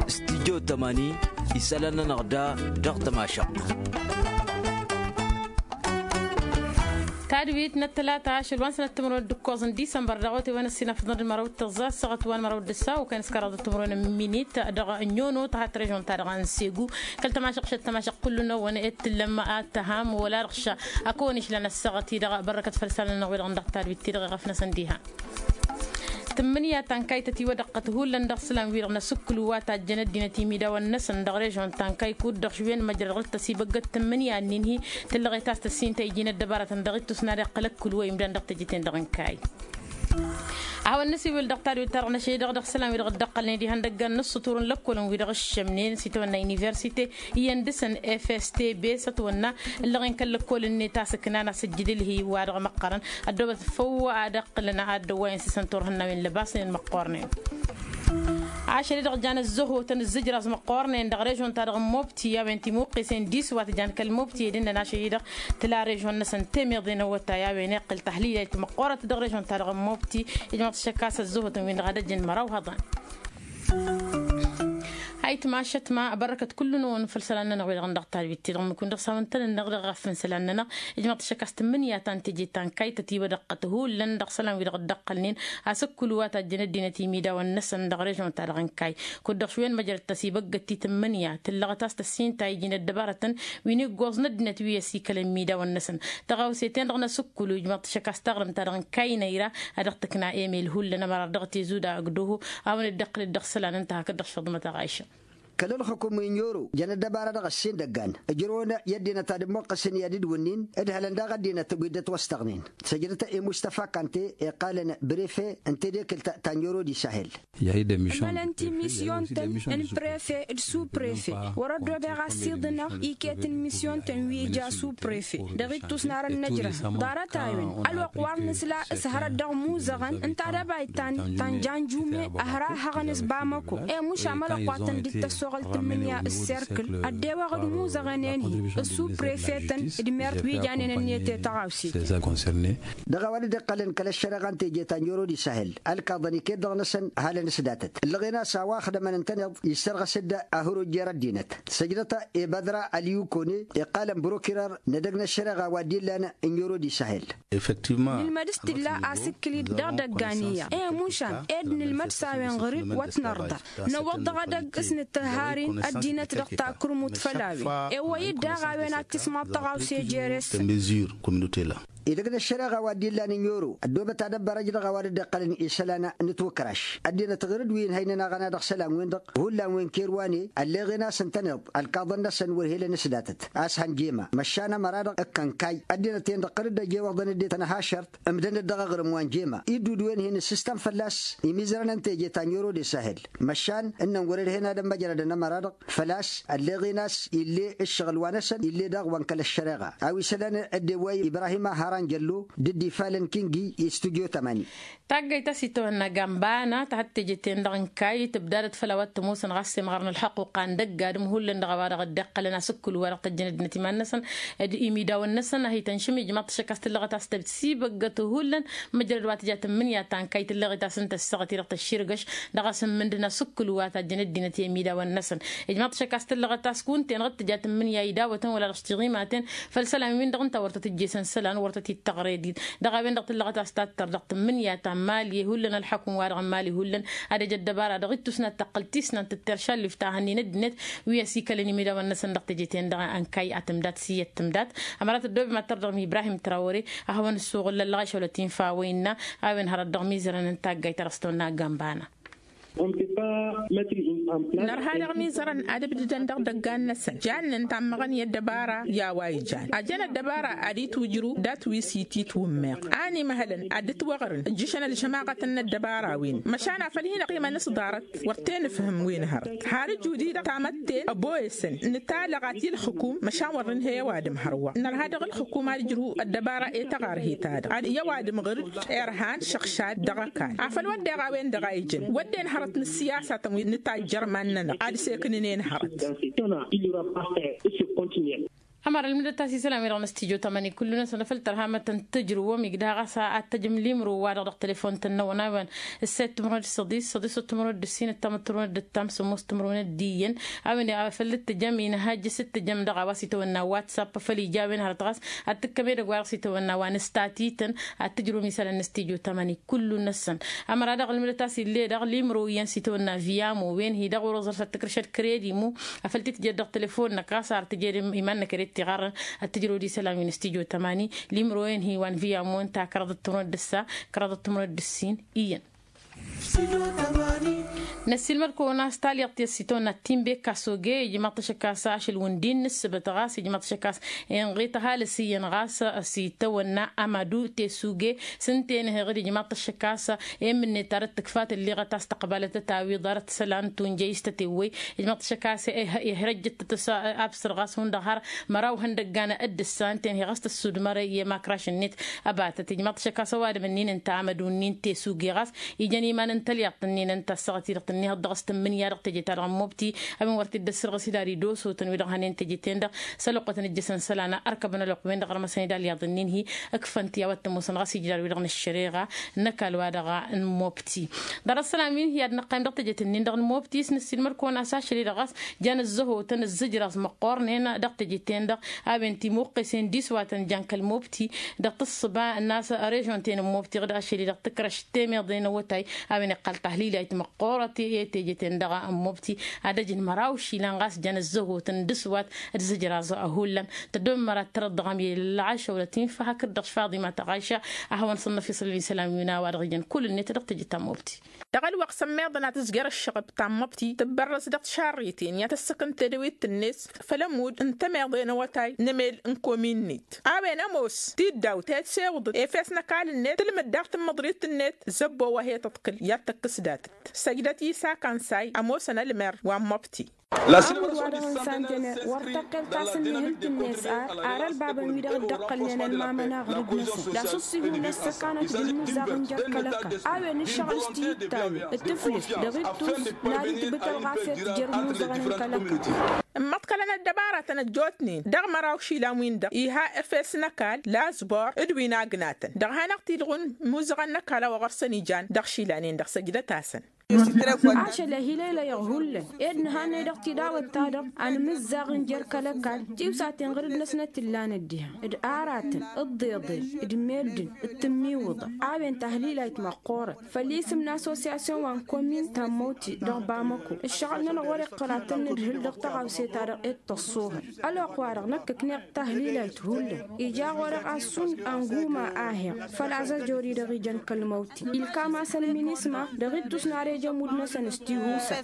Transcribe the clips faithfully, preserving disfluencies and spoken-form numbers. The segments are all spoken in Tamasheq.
Studyo tămani isălan-nănăɣ da dăɣ-tămašăɣt. Tadwit n-ăttălata ašăl wa n-sănăt timǝrwen d-ǝkkoẓ n-disămbăr dăɣ-otewăn ăssinăfăḍăn d-măraw d-tăẓẓa s-săɣăt wa n-măraw d-ăssa okăn s-kăraḍăt timǝrwen n-minit dăɣ-nyono tăhat režon-ta-dăɣ n-segu. Kăl-tămašăɣt šăt tămašăɣt kull-năwăn ed tǝllăm ad-tăham wăla dăɣ-ša. Ad-kăwăn-išlan ăssaɣăt-i-dăɣ bărrăkăt făll-isălan-nănăɣ wi-dăɣ n-dăɣ-tadwit-ti-dăɣ iɣăf-năsăn diha. Tǝmmǝnǝya ta n-kaytăt iwădăɣ tăt-hullan dăɣ-isălan-wi-dăɣ n-asǝkkǝlu wa tajjăn ăddinăt imidawăn-năsăn dăɣ-režon ta n-kaykud-dăɣ šwen măjrăd ɣǝr-tăsibăggăt tǝmmǝnǝya-nin-hi. Tǝllăɣet a-s tăssin ta iji n-ăddăbarătăn dăɣ-ittus n-ad-iqqǝl ăkkǝlu wa imdan dăɣ-tejăten-dăɣ n-kayy. A hawăn-năsiwǝl dăɣ-tadwit-ta-dăɣ n-ašăl-i-dăɣ dăɣ-isălan-wi-dăɣ dd-ăqqălnen diha n-dăggan n-ǝssǝtur n-lăkkolăn-wi-dăɣ ǝššămnen s-itawănna universite iyyăn dăɣ-săn fstb s-ătwănna ǝllăɣen kăl-lăkkol-net a-s ǝknan asǝjjǝd ǝlhi-wa-dăɣ măqqărăn. Ăddoobăt făw ad-ăqqǝlăn ad-dăwwayăn s-isăn turhǝnnawen lăbasnen măqqornen. Ašăl-i-dăɣ jan ăzzăhotăn ǝzzǝjrăẓ măqqornen dăɣ-režon-ta-dăɣ n-mobti a-wen timǝqqesen d-iswat jan kăl-mobti ed ǝnnăn ašăl-i-dăɣ tǝla režon-năsăn temeḍe n-awătay a-wen iqqǝl tahlila itmăqqorăt dăɣ-režon-ta-dăɣ n-mobti. Ijmăḍ-t šăkk a-s ăzzăhotăn-win-dăɣ ad-ăjjăn măraw hăḍăn. Ayǝtma ašătma bărrăkăt kullu-năwăn făll-isălan-nănăɣ wi-dăɣ n-dăɣ-tadwit-ti-dăɣ ǝmmǝk-win-dăɣ s-hawăn-tăn-ǝnneɣ dăɣ-iɣăf n-isălan-nănăɣ. Ijmăḍ-t šăkk a-s tǝmmǝnǝya ta n-teje ta n-kayy tătiwădăɣ tăt-hullan dăɣ-isălan-wi-dăɣ dd-ăqqălnen asǝkkǝlu wa tajjăn ăddinăt imidawăn-năsăn dăɣ-režon-ta-dăɣ n-kayy. Kud-dăɣ šwen măjrăd tăsibăggăt ti tǝmmǝnǝya tǝllăɣăt a-s tăssin ta iji n-ăddăbarătăn wi n-iggoẓ n-ăddinăt wi ăsikălăn imidaw-năsăn. Tăɣawse-ten-dăɣ n-asǝkkǝlu ijmăḍ-t šăkk a-s taɣrǝmt-ta-dăɣ n-kayy n-ira a dăɣ-tǝkna emel hullan ămăra dăɣ-tezuda ăgg doho a-wen dd-iqqǝl dd-ăɣsălan ǝnta hakd-dăɣ šăḍmăt aɣayšăn. Kăl-ǝlxǝkum n-inyoro jăn ăddăbara dăɣ-ăssin dăggan ǝjrăwăn i-ăddinăt ad-ǝmmuqqǝsăn i-ad-dd-wǝnnin. Ǝdhălăn daɣ ăddinăt wi dd-ătwăstăɣnen săjdăt i-mustafa kante iqqalăn brefe n-tedekǝlt ta n-inyoro d-isahel. Ămălăn ti misyon-tăn n-prefe d-su-prefe wăr-ăddoobeɣ a-s iḍǝnăɣ iket n-misyon-tăn wi ija su-prefe. Dăɣ-ittus n-arăn năjrăh ḍarăt-a-wen ălwăqq wa n-nǝsla s-hărăt dăɣ-imuzăɣăn n-tadăbayt ta n-janjume ăhrahăɣăn s-bamăko. Emuš amălăqq wa tăn-dd-tăssoɣăl tǝmmǝnǝya s-serkǝl ăddewăɣ d-imuzăɣăn-en-hi s-su-prefe-tăn d-mert wi janen ǝnniyăt i-tăɣawse. Dăɣ-a-wa dd-iqqălăn kăl-ăššăreɣa n-teje ta n-oro d-isahel ălkaḍăn iket-dăɣ-năsăn halăn s-datăt ǝllăɣen a-s a-wa ăxdămăn ǝntăneḍ. Issărɣăs-dd ahăr ojjer ăddinăt săjdăt i-bădra ălyukone iqqalăn brokirar n-edăgg n-ăššăreɣa wa dd-illan n-oro d-isahel. Nǝlmăd s-tǝlla asǝkkǝl-dd dăɣ-idăggan iyyăḍ i-mušan ed nǝlmăd s-a-wen ɣăr-dd wăr t-nărḍa. Năwwăḍ dăɣ-edăgg s-nǝttǝhhar-in ăddinăt dăɣ-takrǝmut făll-a-wen. Ewăy-dd daɣ a-wen ad-tismaḍ tăɣawse jere-săn. Idăgg n-ăššăreɣa wa dd-illan n-oro ăddoobăt ad-ăbbărăj dăɣ-a-wa dd-iqqălăn isălan n-ǝtwǝkraš. Ăddinăt ɣǝr-dd wi ǝnhăynen aɣăna dăɣ-isălan-wen-dăɣ hullan wen kerwane ălleɣen a-s ǝntăneḍ ălkaḍăn-năsăn wăr helăn s-datăt a-s hăn jema măšan ămăra-dăɣ ǝkkăn kayy. Ăddinăt-en-dăɣ ɣǝr-dd ăjewăḍăn ăddinăt ănhašărt ǝmdăn-dd dăɣ-aɣrǝm wa n-jema iddudǝwen-hin ǝssǝstăn fălla-s imizărăn n-teje ta n-oro d-isahel. Măšan ǝnnăn wăr-ărhen ad-ămmăjrădăn ămăra-dăɣ făl-a-s ălleɣen a-s ill'-e ǝššăɣǝl wa-năsăn ill'-e daɣ wa n-kăl-ăššăreɣa a-wa isălan ăddewăy ibrahim aharan jăllo d-dd-ifalăn kingi i-studyo tămani. Taggayt a-s itawănna gambana ta hăt teje-ten-dăɣ n-kayy tǝbdadăt făll-a-wa t-ămoosăn ɣas semɣăr n-ălxăqquqa n-dăgg-adǝm hullan dăɣ-a-wa-dăɣ dd-iqqălăn asǝkkǝl-wa-dăɣ tăjjăn ăddinăt iman-năsăn d-imidawăn-năsăn a hi-tănšăm ijmaḍ-t šăkk a-s tǝllăɣăt a-s tăbsibăggăt hullan. Măjrăd wa tǝja tǝmmǝnǝya ta n-kayy tǝllăɣet a-s ǝnta ăssaɣăt-i-dăɣ tăšširgăš dăɣ-a-s ǝmmǝndǝn asǝkkǝl wa tajjăn ăddinăt i-imidawăn-năsăn. Ijmaḍ-t šăkk a-s tǝllăɣăt a-s kunta-en ɣǝd tǝja tǝmmǝnǝya idawătăn wăla dăɣ-s tiɣimaten făll-isălan-win-dăɣ ǝnta wăr tăt-ǝjjesen isălan wăr tăt-ittăɣrăy din. Dăɣ-a-wen-dăɣ tǝllăɣăt a-s tattăr dăɣ-tǝmmǝnǝya ta n-mali hullan ălxăkum-wa-dăɣ n-mali hullan ad-ăj ăddăbara dăɣ-ittus n-ad-tăqqǝl tisnant d-teršallif ta hănnen ăddinăt wi ăsikălăn imidawăn-năsăn dăɣ-teje-ten-dăɣ n-kayy ad-tǝmdat s-iyyăt tǝmdat. Ămăra tăddoobem ad-tărdăɣ n-ibrahim trawăre ad-hawăn-ǝssuɣǝl ăllăɣašăwlăt-in fawăy-năɣ a-wen hărăt dăɣ-mizărăn n-taggayt ta dăɣ-s tăwănna gambana. Nărha dăɣ-mizărăn ad-ǝbdǝdăn dăɣ-idăggan-năsăn jannen tammăɣăn i-ăddăbara i-a-wa ijan ajăn ăddăbara ad-itwǝjrǝw dat-wi s-ititwǝmmeɣ. A ănimăhălăn ad-dd-ǝtwăɣrǝn ǝjjǝšăn ălžămaɣătăn n-ăddăbara-win măšan a făl hin-ăqqimăn s-ḍarăt. Wăr t-e-nǝfhǝm wi n-hărăt har ǝjud-i-dăɣ tamătte ăboyăsăn nǝtalăɣ ad-t-ǝlxǝkum măšan wăr nǝnhăy ăwadǝm hărwa nărha dăɣ-ǝlxǝkum ad-ǝjrǝw ăddăbara i-taɣarhe-ta-dăɣ ad-i ăwadǝm ɣǝr-dd irhan šăɣšad dăɣ-ăkall. Afăl wădden a-wen-dăɣ a ijăn wădden hărăt n-ǝssiyasatăn wi n-tajjăr iman-nănăɣ ad-sekǝnǝnen hărăt. Ǝssin continuel. Ămăra ălmǝdăt a-s isălan-wi-dăɣ n-studyo tămani kullu-năsăn a făl tărha mătăn tǝjrǝwăm igdăh ɣas ad-tăjăm limro-wa-dăɣ dăɣ-telefon-tăn n-awănawăn. Ǝssayăt timǝrwen d-săḍis săḍis timǝrwen d-ǝssin ǝttamăt timǝrwen d-ǝttam sămoos timǝrwen d-iyyăn. A-wen a făl dd-tăjăm inhăjj s-dd-tăjăm dăɣ-a-wa s-itawănna whatsapp făl ija a-wen hărăt ɣas ad-tǝkkăm edăgg-wa-dăɣ s-itawănna wa n-ǝstatităn ad-tǝjrǝwăm isălan n-studyo tămani kullu-năsăn. Ămăra dăɣ-ălmǝdăt a-s ill'-e-dăɣ limro iyyăn s-itawănna viamo wen-hi dăɣ-wăr-oẓăr s-ad-tǝkrǝšăd kredi-mu. Afăl t-tǝjed dăɣ-telefon-năk ɣas ar tǝjed iman-năk ere t-iɣarrăn ad-tǝjrăwăd isălan wi n-studyo tămani. Limro-en hi-wa n-viamo ǝnta kăraḍăt timǝrwen d-ǝssa kăraḍăt timǝrwen d-ǝssin iyyăn. Năssiilmăd-kăwăn a-s talyaḍt i-ăssitawănna timbe kasoge ijmaḍ-t ašăk a-s ašăl wǝndin n-ǝssǝbăt ɣas ijmaḍ-t ašăk a-s inɣit ăhalǝs iyyăn ɣas s-itawănna amadu tesuge. S-ǝnta-en heɣ-dd ijmaḍ-t ašăk a-s emǝnnet arăt tǝkfa tǝlliɣăt a-s tăqbalăt ad-tawiḍ arăt isălan tunjăy s-tătewwăy. Ijmaḍ-t ašăk a-s ehăjjăt-tăt s-absăr ɣas hundăɣ har măraw ihăndăggan. Dd-ǝssa ǝnta-en hi-ɣas tăssudmăr i-emakraš-net. Ăbatăt ijmaḍ-t ašăk a-s ăwadǝm-ǝnnin ǝnta amădu-nin tesuge ɣas ijăn iman n-talyaḍt-ǝnnin ǝnta ăssaɣăt-i-dăɣ tǝnnihăḍ dăɣ-s tǝmmǝnǝya dăɣ-teje-ta-dăɣ n-mobti. A-wen wăr t-dd-ăssărɣǝs idar idosotăn-wi-dăɣ hănen teje-ten-dăɣ s-ălwăqqătăn ǝjjăsăn isălan ărkăbăn ălwăqq-wen-dăɣ ărmăsăn idalyaḍ-ǝnnin-hi. Ǝkfăn-t i-a-wa t-ămoosăn ɣas ijrar-wi-dăɣ n-ăššăreɣa n-ăkall-wa-dăɣ n-mobti. Ḍarăt isălan wi n-hi-ad-nǝqqayǝm dăɣ-tejet-nin-dăɣ n-mobti s-năssiilmăd-kăwăn a-s ašăl-i-dăɣ ɣas jan ăzzăhotăn ǝzzǝjraẓ măqqoornen dăɣ-tejet-ten-dăɣ. A-wen timuqqesen d-iswatăn jan kăl-mobti dăɣ-tǝssǝba n-a-s režon-ten n-mobti ɣǝd ašăl-i-dăɣ tǝkrăš temeḍe n-awătay. A-wen iqqal tahlilayt măqqoorăt i-teje-ten-dăɣ n-mobti ad-ăjǝn măraw išilan ɣas jan ăzzăhotăn d-iswat d-izǝjraẓ hullan. Tăddommăr ad-tărăḍ dăɣ-amyel ălɣaša wăla tinfa hakd-dăɣ faḍima tăɣaša. A hawăn-săn năfisăl isălan wi n-a-wa-dăɣ ijăn kull-net dăɣ-teje ta n-mobti. Dăɣ-ălwăqq s-ămmiḍăn ad-tǝzjăr ăššăɣb ta n-măbti tǝbbărrăs dăɣ-tišarriten i-ad-tăssăkăn tedăwit-net făll-ămudd n-temeḍe n-awătay n-emel n-komin-net. A-wen ămoos tiddawt he-tǝsewǝḍăt efes n-ăkall-net tǝlmǝd daɣ tǝmmăḍrit-net zăbbo wa he-tăḍkǝl i-ad-tăkkǝs datăt. Săjdăt isa kansay ămoosăn ălmer wa n-măbti. Amăd wa dăɣ-ǝnsan tene wăr tăqqel ta s-ǝnnihǝlt-net ar ar ălbabăn-wi-dăɣ dd-ăqqălnen ălmamăn aɣrǝd-năsăn d-asǝṣṣi hullan s-ăkanăt d-ǝmmǝzzaɣ n-jer-kăl-ăkall. A-wen ǝššăɣǝl s-tiyǝttawin d-tǝflǝs dăɣ-ittus n-ad-itbǝtăl ɣas i-ad-tǝjjăr imuzăɣăn n-kăl-ăkall. Ǝmmăḍkălăn ăddăbaratăn ăjjootnen dăɣ-măraw išilan-win-dăɣ iha efes n-ăkall lazbor d-wi n-agnatăn dăɣ-hanăɣ-t-ilɣun imuzăɣăn n-ăkall a-wa ɣur-săn ijan dăɣ-išilan-en-dăɣ săjdăt-asăn. Ašăl ehilăylăyăɣ hullan ed nǝhannăy dăɣ-tidawăt-ta-dăɣ a nǝmǝzzaɣ n-jer-kăl-ăkall tiwsaten ɣǝrǝd-năsnăt t-ǝllanăt diha d-aratăn d-iḍeḍen d-meddǝn d-tǝmmiwǝḍa. A-wen tahlilayt măqqoorăt făll-isǝm n-assosyasyon wa n-komin ta n-măwti dăɣ-bamăko. Ǝššăɣǝl-nănăɣ wăr-iqqăl ad-tăn-nǝdhǝl dăɣ-tăɣawse-ta-dăɣ ed tăṣṣuhăl ălwăqq-wa-dăɣ năkkăkneɣ tahlilayt hullan. Ija ɣur-eɣ a-s šund anguma a heɣ făl azăjor-i-dăɣ ijăn kăl-măwti ilkam-asăn minisma dăɣ-ittus n-ar eje ămudd-năsăn s-tihusa.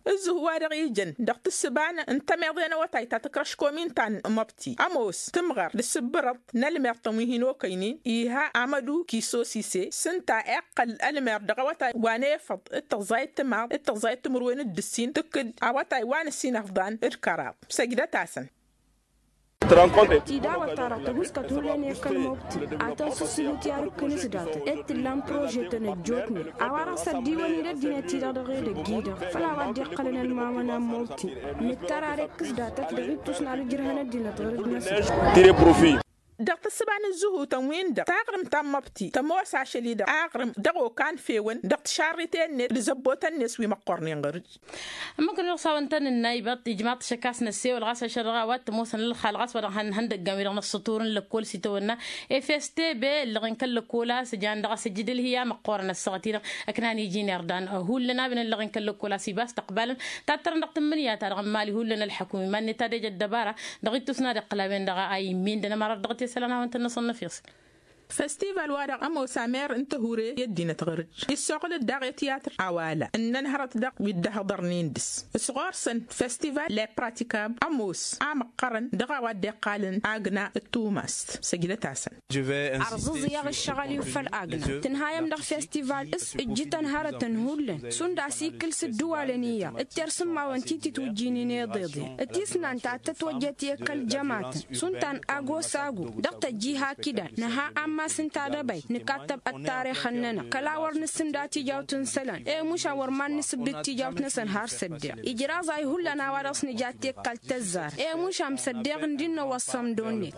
Ǝzzǝhu-wa-dăɣ ijăn dăɣ-tǝssǝba n-tămeḍe n-awătay ta tǝkrăš komin ta n-măbti ămoos tǝmɣăr d-asǝbbărăḍ n-ălmertăn wi hin-okăynen iha amădu kisosise s-ǝnta iqqăl ălmer dăɣ-awătay wa n-efăḍ d-tăẓẓayăt timaḍ d-tăẓẓayăt timǝrwen d-ǝssin tǝkkǝd awătay wa n-ǝssin ăfḍan d-kăraḍ. Săjdăt-asăn. Tidawăt-ta-dăɣ tăguskăt hullan i-kăl-mobti ad-tăn-sǝssǝbǝt i-ad-ǝkkǝn s-datăt ed tǝllan prožetăn ăjjootnen a-wa-dăɣ s-ăddiwăn-in ăddinăt-i-dăɣ dăɣ-edăgg-i-dăɣ făl a-wa dd-iqqălăn ălmamăna n-mobti. Nǝttăr ar ikkǝs datăt dăɣ-ittus n-ad-ǝjrǝhăn ăddinăt ɣur-dd-năsăn. Dăɣ-tǝssǝba n-ǝzzǝhutăn-win-dăɣ taɣrǝmt ta n-măbti tămoos ašăl-i-dăɣ aɣrǝm dăɣ-okan fewăn dăɣ-tišarriten-net d-zăbbotăn-net wi măqqornen ɣur-dd. Ămmăk-nănăɣ s-a-wăn tăn-ǝnnaybaḍ ijmaḍ-t ašăk a-s năssewăl ɣas ašăl dăɣ-a-wa t-ămoosăn ălxal ɣas wa dăɣ-ihăndăggan-wi-dăɣ n-ăṣṣătur n-lăkkol s-itawănna efes tebe ǝllăɣ-in kăl-lăkkol a-s jan dăɣ-a-s ǝjjǝd ǝlhǝya măqqoorăn ăssaɣăt-i-dăɣ ăknan iji n-irdan. Hullan a-wen ǝllăɣ-in kăl-lăkkol a-s iba a-s tăqbalăn tattărăn dăɣ-tǝmmǝnǝya-ta-dăɣ n-imali hullan ălḥăkum iman-net ad-ejăt dăbara dăɣ-ittus n-ad-iqqǝl a-wen dăɣ-a immindăn ămărat dăɣ-t i-isălan a-wăn tăn-năsăn năfiṣ. Festival-wa-dăɣ ămoos amer n-tăhure i-ăddinăt ɣur-dd issoɣǝl-dd daɣ i-tiyatr awala ǝnnăn hărăt daɣ wi dd-ăhḍărnen dăɣ-s s-ɣur-săn festival le pratikab ămoos amăqqărăn dăɣ-a-wa dd-iqqalăn agna d-tumast. Săjdăt-asăn. Ărẓǝẓ iyyăɣ ǝššăɣǝl-iw făll-agna tǝnhayăm dăɣ-festival s-ǝjjǝtăn hărătăn hullan šund a-s ikkǝl s-ǝddǝwalăn iyyăḍ d-tersǝmmawăn ti tǝtwǝjjǝynen iḍeḍen d-tisnant ta tătwăjjăt i-kăl-jămatăn šund ta n-ago s-ago dăɣ-tăjji hakd-an nǝha amma. A-s ǝnta d-ebăy nǝkattăb ăttarixăn-nănăɣ kăla wăr nǝsǝnda tijawt n-isălan i-mušan wăr mad-nǝsǝbbǝd tijawt-năsăn har s-ăddeɣ ijraẓay hullan a-wa dăɣ-s nǝja tekkal tăzzar i-mušan s-ăddeɣ ǝndi n-inăwăṣṣăm d-onnet.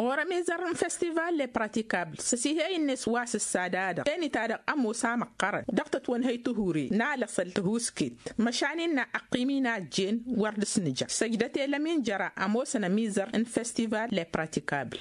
Ɣur-ămizăr n-festival le pratikabl s-ăsihey-net wa s-ǝssa d-adăɣ tenita-dăɣ ămoos a măqqărăn dăɣ-tătwănhăy tihuri n-alăṣăl tihusket măšan innă ăqqim-in a ăjjeen wăr dăr-s nǝja săjdăt elăm injăra ămoosăn ămizăr n-festival le pratikabl.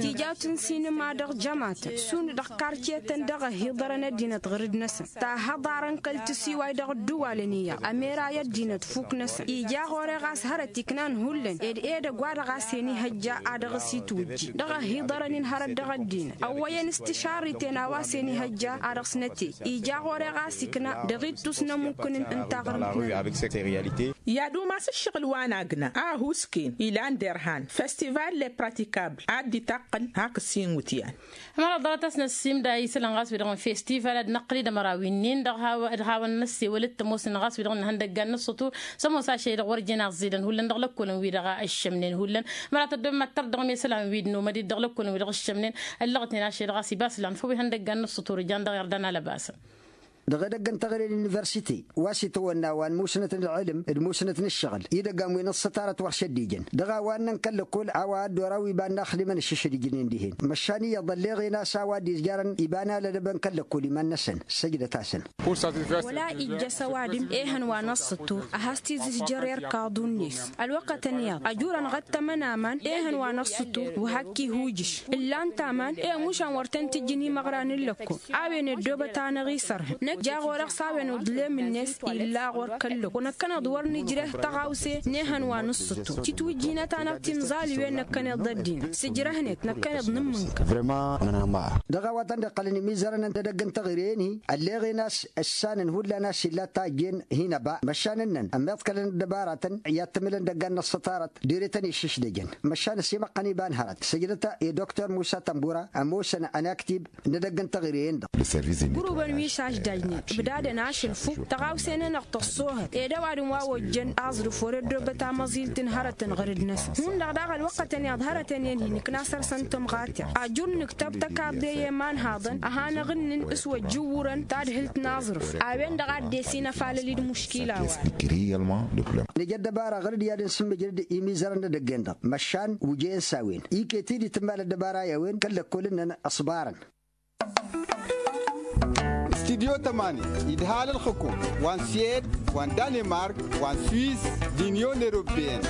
Tijawt n-sinǝma dăɣ-jămatăn šund dăɣ-kartiyetăn dăɣ-ăhhiḍărăn ăddinăt ɣǝrǝd-năsăn tahăḍarăn kăl-tǝsiway dăɣ-ădduwalăn iyyăḍ ămera i-ăddinăt fuk-năsăn ija ɣur-e ɣas hărăt iknan hullan ed edăgg wa dăɣ-a-s hen-ihăjja a dăɣ-s itwǝjji dăɣ-ăhhiḍărăn-in hărăt dăɣ-ăddinăt ăwwăyăn s-tišarriten a-wa s-hen-ihăjja a dăɣ-s nătey ija ɣur-e ɣas ikna dăɣ-ittus n-ămukkǝnǝn n-taɣrǝmt-nănăɣ. I-ad-umas ǝššăɣǝl wa n-agna a ăhuusken ilan derhan festival le pratikabl ad-dd-itaqqǝl hakd s-inwǝtyan. Ămăra ḍarăt-as n-ăssimda isălan ɣas wi-dăɣ n-festival ad-năqqǝl-dd ămăra wi-nin dăɣ-hawăn n-ăssewăl d-tămoosnen ɣas wi-dăɣ n-ihăndăggan n-ǝṣṣutur s-ămoos ašăl-i-dăɣ wăr jen aẓẓidăn hullan dăɣ-lăkkolăn wi-dăɣ ǝššămnen hullan. Ămăra tăddobem ad-tărdăɣ mesălan wi d-nomăd-dd dăɣ-lăkkolăn wi-dăɣ ǝššămnen ăllăɣten ašăl-i-dăɣ a-s ibas lan făw ihăndăggan n-ǝṣṣutur ijan dăɣ-irdan alăbasăn. Dăɣ-edăgg n-teɣăre n-universite wa s-itawănna wa n-musnăt n-ălɣǝlǝm d-musnăt n-ǝššăɣǝl idăggan wi n-ǝṣṣăt arăt wăr šăddijăn dăɣ-a-wa ǝnnăn kăl-lăkkol a-wa ăddoor a-wi iba n-inaxdimăn ǝššǝšdǝjnen dihen măšan iyyăḍ ălleɣen a-s a-wa dd-izjarăn iba n-alădăbăn kăl-lăkkol iman-năsăn. Săjdăt-asăn. Wăla ijjăs ăwadǝm ehăn wa n-ăṣṣătur a has-t-izǝzjăr erkaḍu-net ălwăqqătăn iyyăḍ ăjurăn ɣăttămăn aman ehăn wa n-ăṣṣătur wa hakk-ihujǝš ǝllan-t aman i-ămušan wăr tăn-tǝjjǝn imăɣra n-ǝllăkkol a-wen ăddoobăt-anăɣ isărhăn năkk jaɣ-orăɣ s-a-wen uḍlem-net illa ɣur-kăl-lăkkol năkkăneḍ wăr nǝjreh tăɣawse n-ehăn wa n-ǝṣṣǝttu titwǝjjinăt-anăɣ timẓaliwen năkkăneḍ d-ăddinăt sǝjrăhnet năkkăneḍ nǝmmǝnkăr. Dăɣ-a-wa tăn-dd-iqqălăn imizărăn n-edăgg n-teɣăre-en-hi ălleɣen a-s ǝssanăn hullan a-s illa tajjen hin-ăba măšan ǝnnăn ămmiḍkălăn ăddăbaratăn i-ad-tǝmǝlăn idăggan n-ăṣṣăt arăt dere-tăn iššǝšdăjăn măšan ăsimăqqăn iba n-hărăt săjdăt i-doktor musa tămbura ămoosăn ănaktib n-edăgg n-teɣăre-en-dăɣ. Gurubăn wi s-aždajnen ǝbdadăn ašăl fuk tăɣawse-nănăɣ tăṣṣoohăt ed ăwadǝm wa ojjăn aẓrǝf wăr-ăddoobăt amăẓilt n-hărătăn ɣăr-dd-năsăn hundăɣ daɣ ălwăqqătăn iyyăḍ hărătăn-en-hi nǝkna săr-săn tămɣateɣ ajur nǝktăb tăkaḍe i-imanhaḍăn a hanăɣ-ǝnnǝn s-wăjjǝwwurăn tadhǝlt n-aẓrǝf a-wen-dăɣ a dd-esin ăfalăl-i d-muškila-wa. Nǝja ăddăbara ɣăr-dd i-ad-dd-nsǝmmǝjrǝd imizărăn n-edăgg-en-dăɣ măšan wǝjăyăn s-a-wen iket-dd itǝmmal ăddăbara i-a-wen kăl-lăkkol-nănăɣ ăṣbarăn. Studyo tămani idhal ălxǝkum wa n-suwed wa n-danemark wa n-swiss d-inyon eropeyăn.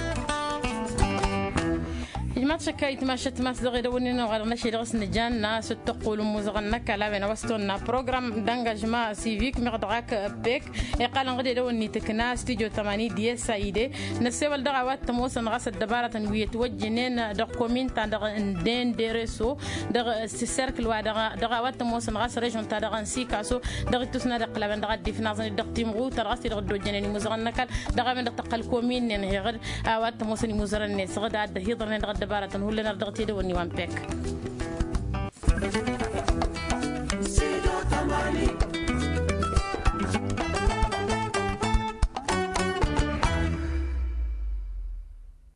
Ijmaḍ šăkka itmašăt mas dăɣ-edăwănnin wa dăɣ-năšăy dăɣ-s nǝjanna s-dd-tăqqul n-imuzăɣăn n-ăkall a-wen a-wa s-tonna program d-angajma sivik meɣ dăɣ-ak pek iqqalăn ɣǝd edăwănni tǝkna studyo tămani d-s a ide. Năssewăl dăɣ-a-wa t-ămoosăn ɣas ăddăbaratăn wi ătwăjjǝnen dăɣ-komin-ta-dăɣ n-dendereso dăɣ-s serkǝl wa dăɣ-a-wa t-ămoosăn ɣas režon-ta-dăɣ n-sikaso dăɣ-ittus n-ad-iqqǝl a-wen dăɣ-ad-dd-ifnaẓăn-dd dăɣ-timɣutar ɣas ti-dăɣ dd-ojjănen imuzărăn n-ăkall dăɣ-a-wen-dăɣ tăqqăl komin-nen heɣăd a-wa t-ămoosăn imuzărăn-net ɣǝd a dd-ăhiḍărnen dăɣ-ăddăbaratăn hullan ar dăɣ-t edăwănni wa n-pek.